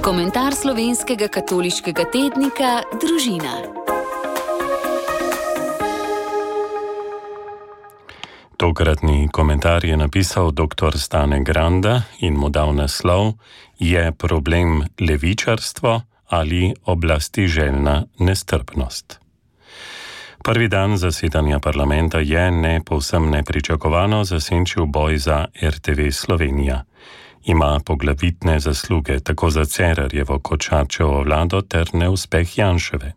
Komentar slovenskega katoliškega tednika Družina. Tokratni komentar je napisal dr. Stane Granda in mu dal naslov: Je problem levičarstvo ali oblasti željna nestrpnost? Prvi dan zasedanja parlamenta je povsem nepričakovano zasenčil boj za RTV Slovenija. Ima poglavitne zasluge tako za Cerarjevo kot Šarčevo vlado ter neuspeh Janševe.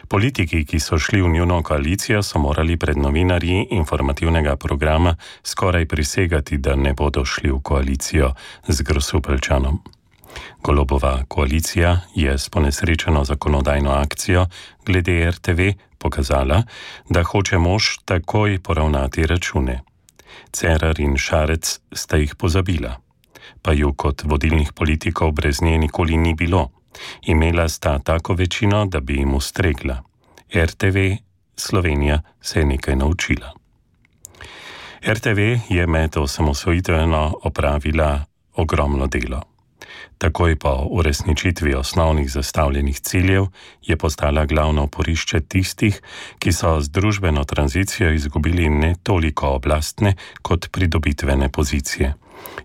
Politiki, ki so šli v njuno koalicijo, so morali pred novinarji informativnega programa skoraj prisegati, da ne bodo šli v koalicijo z Grosupeljčanom. Golobova koalicija je s ponesrečeno zakonodajno akcijo glede RTV pokazala, da hoče mož takoj poravnati račune. Cerar in Šarec sta jih pozabila, pa ju kot vodilnih politikov brez nje nikoli ni bilo. Imela sta tako večino, da bi jim ustregla. RTV Slovenija se je nekaj naučila. RTV je med osamosvojitveno opravila ogromno delo. Takoj po uresničitvi osnovnih zastavljenih ciljev je postala glavno oporišče tistih, ki so z družbeno tranzicijo izgubili ne toliko oblastne kot pridobitvene pozicije.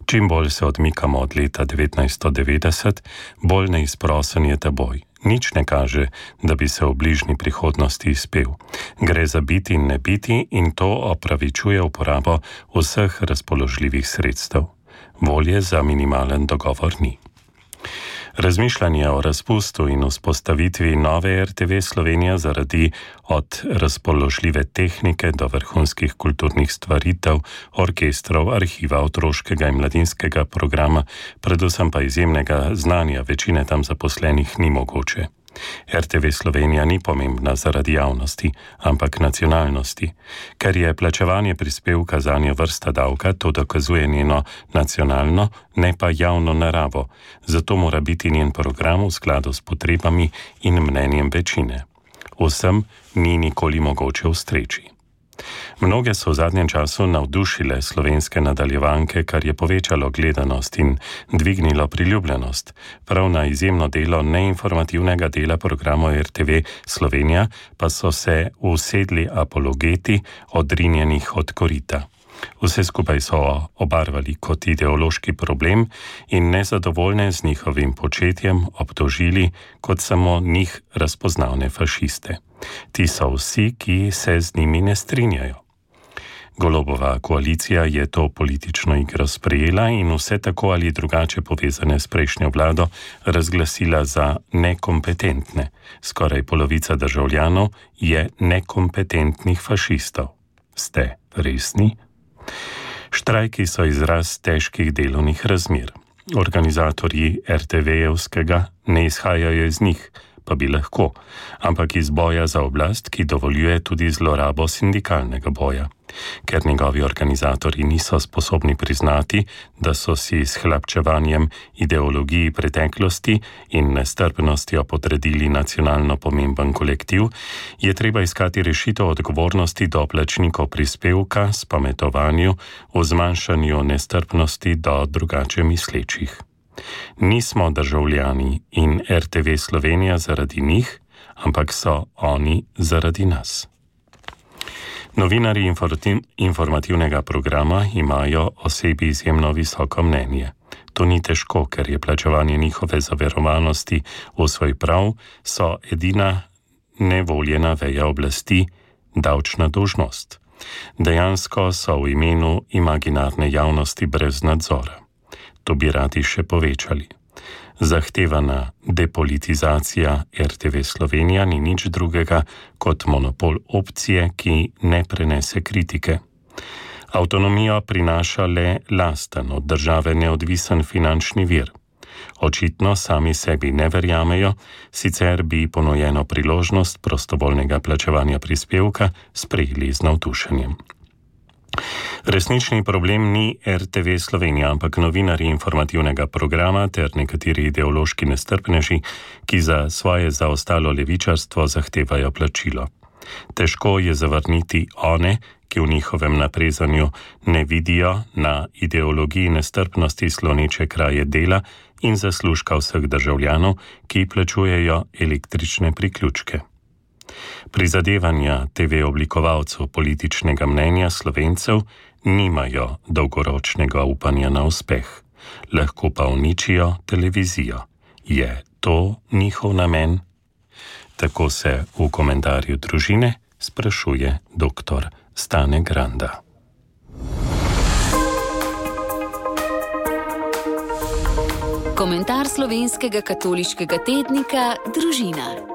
Čim bolj se odmikamo od leta 1990, bolj neizprosen je ta boj. Nič ne kaže, da bi se v bližnji prihodnosti izpel. Gre za biti in ne biti in to opravičuje uporabo vseh razpoložljivih sredstev. Volje za minimalen dogovor ni. Razmišljanje o razpustu in vzpostavitvi nove RTV Slovenija zaradi od razpoložljive tehnike do vrhunskih kulturnih stvaritev, orkestrov, arhiva, otroškega in mladinskega programa, predvsem pa izjemnega znanja večine tam zaposlenih ni mogoče. RTV Slovenija ni pomembna zaradi javnosti, ampak nacionalnosti. Ker je plačevanje prispevka zanjo vrsta davka, to dokazuje njeno nacionalno, ne pa javno naravo. Zato mora biti njen program v skladu s potrebami in mnenjem večine. Vsem ni nikoli mogoče ustreči. Mnoge so v zadnjem času navdušile slovenske nadaljevanke, kar je povečalo gledanost in dvignilo priljubljenost. Prav na izjemno delo neinformativnega dela programov RTV Slovenija pa so se usedli apologeti odrinjenih od korita. Vse skupaj so obarvali kot ideološki problem in nezadovoljne z njihovim početjem obtožili kot samo njih razpoznavne fašiste. Ti so vsi, ki se z njimi ne strinjajo. Golobova koalicija je to politično igro sprejela in vse tako ali drugače povezane s prejšnjo vlado razglasila za nekompetentne. Skoraj polovica državljanov je nekompetentnih fašistov. Ste resni? Štrajki so izraz težkih delovnih razmer. Organizatorji RTV-evskega ne izhajajo iz njih, pa bi lahko, ampak iz boja za oblast, ki dovoljuje tudi zlorabo sindikalnega boja. Ker njegovi organizatorji niso sposobni priznati, da so si s hlapčevanjem ideologiji preteklosti in nestrpnostjo podredili nacionalno pomemben kolektiv, je treba iskati rešitev odgovornosti do plačnikov prispevka, spametovanju, v zmanjšanju nestrpnosti do drugače mislečih. Nismo državljani in RTV Slovenija zaradi njih, ampak so oni zaradi nas. Novinarji informativnega programa imajo o sebi izjemno visoko mnenje. To ni težko, ker je plačevanje njihove zaverovanosti v svoj prav, so edina nevoljena veja oblasti, davčna dolžnost. Dejansko so v imenu imaginarne javnosti brez nadzora. To bi radi še povečali. Zahtevana depolitizacija RTV Slovenija ni nič drugega kot monopol opcije, ki ne prenese kritike. Avtonomijo prinaša le lasten, od države neodvisen finančni vir. Očitno sami sebi ne verjamejo, sicer bi ponujeno priložnost prostovoljnega plačevanja prispevka sprejeli z navdušenjem. Resnični problem ni RTV Slovenija, ampak novinarji informativnega programa ter nekateri ideološki nestrpneži, ki za svoje zaostalo levičarstvo zahtevajo plačilo. Težko je zavrniti one, ki v njihovem naprezanju ne vidijo na ideologiji nestrpnosti sloneče kraje dela in zaslužka vseh državljanov, ki plačujejo električne priključke. Prizadevanja TV oblikovalcev političnega mnenja Slovencev nimajo dolgoročnega upanja na uspeh, lahko pa uničijo televizijo. Je to njihov namen? Tako se v komentarju Družine sprašuje dr. Stane Granda. Komentar slovenskega katoliškega tednika Družina.